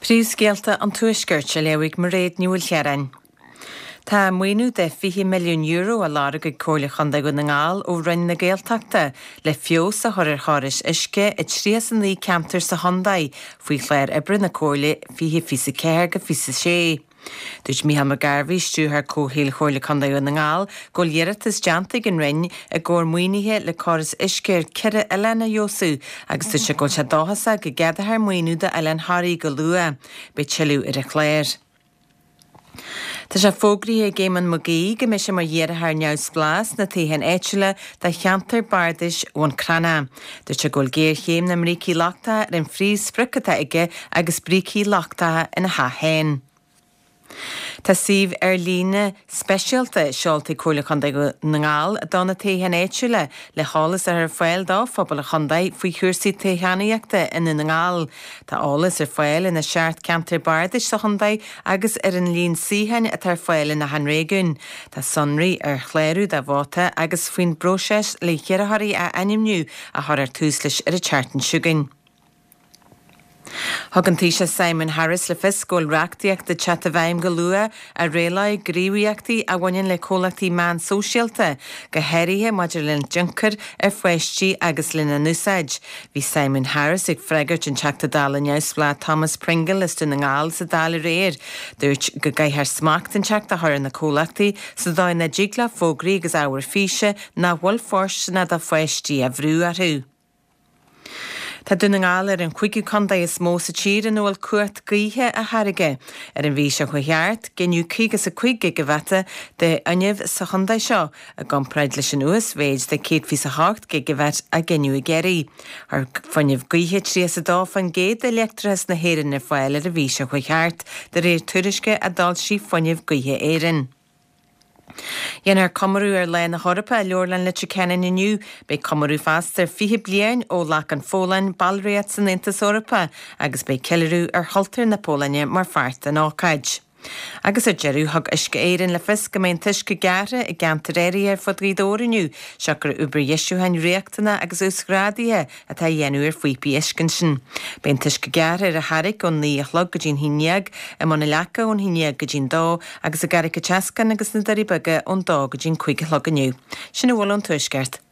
Príomhscéalta an Tuaiscirt á léamh ag Mairéad Ní Mhaoilchiaráin. Tá maoiniú de €20 milliún á lorg ag Comhairle Chontae Dhún na nGall ó Roinn na Gaeltachta le feabhas a chur ar chórais uisce i 39 ceantar sa chontae faoi chlár oibre na Comhairle 2024-26. Dúirt Mícheál McGarvey, Stiúrthóir Comhshaoil Chomhairle Contae Dhún na nGall, go bhfuil iarratas déanta ag an Roinn i gcomhair maoinithe le córas uisce ar cheithre oileán a fheabhsú agus dúirt sé go bhfuil sé dóchasach go gceadófar maoiniú d'Oileán Thoraí go luath. Beidh tuilleadh ar an chlár. Tá sé fógraithe ag Éamonn Mag Aoidh go mbeidh sé mar iarrthóir neamhspleách sna toghcháin áitiúla do cheantar bardais Bhun Cranncha. Dúirt sé go bhfuil géarchéim na mbrící lochtacha ar an phríomhsprioc atá aige agus brící lochtacha ina theach féin. Tá suíomh ar líne speisialta seolta ag Comhairle Chontae Dhún na nGall do na toghcháin áitiúla le heolas a chur ar fáil do phobal an chontae faoi chúrsaí toghchánaíochta i nDún na nGall. Tá eolas ar fáil ina seacht ceantar bardais sa chontae agus ar an líon suíocháin atá ar fáil in achan réigiún. Tá sonraí ar chlárú do vóta agus faoin bpróiseas le hiarrthóirí a ainmniú a chuirfear tús leis ar an tseachtain seo chugainn. Thug an Taoiseach Simon Harris le fios go bhfuil reachtaíocht ag teacht i bhfeidhm go luath a rialóidh gníomhaíochtaí a bhaineann le comhlachtaí meán sóisialta, go háirithe maidir lena dtionchar ar pháistí agus lena n-úsáid. Bhí Simon Harris ag freagairt an Teachta Dála neamhspleách Thomas Pringle as Dún na nGall sa Dáil aréir. Dúirt go gcaithfear smacht inteacht a chur ar na comhlachtaí sa dóigh nach dtig leo fógraí agus ábhar físe nach bhfuil fóirsteanach do pháistí a bhrú orthu. Tá Dún na nGall ar an chúigiú contae is mó sa tír ina bhfuil cumhacht gaoithe á tháirgeadh. Ar an mhí seo chuaigh thart, gineadh 55 gigeavata de fhuinneamh sa chontae seo, i gcomparáid leis an uasmhéid de 128 gigeavat a gineadh i gCiarraí. Chuir fuinneamh gaoithe 32% de leictreachas na hÉireann ar fáil ar an mhí seo chuaigh thart, de réir tuairisce a d'fhoilsigh Fuinneamh Gaoithe Éireann. Déanfar comóradh ar Lá na hEorpa i Leabharlann Leitir Ceanainn inniu. Beidh comóradh feasta ar 20 bliain ó ghlac an Pholainn ballraíocht san Aontas Eorpach agus beidh ceiliúradh ar chultúr na Polainne mar pháirt den ócáid. Agus ar deireadh, thug Uisce Éireann le fios go mbeidh an t-uisce gearrtha i gceantair áirithe ar fud Ghaoth Dobhair inniu, siocair obair dheisiúcháin riachtanach agus uasghrádaithe atá á dhéanamh ar phíopaí uisce ansin. Beidh an t-uisce gearrtha ar an Charraic ón 9 a chlog go dtí'n 11, i mBun an Leaca ón 11 go dtí'n 2 agus i gCarraig an tSeascáin agus sna Doirí Beaga ón 2 go dtí'n 5 a chlog inniu. Sin a bhfuil ón Tuaisceart.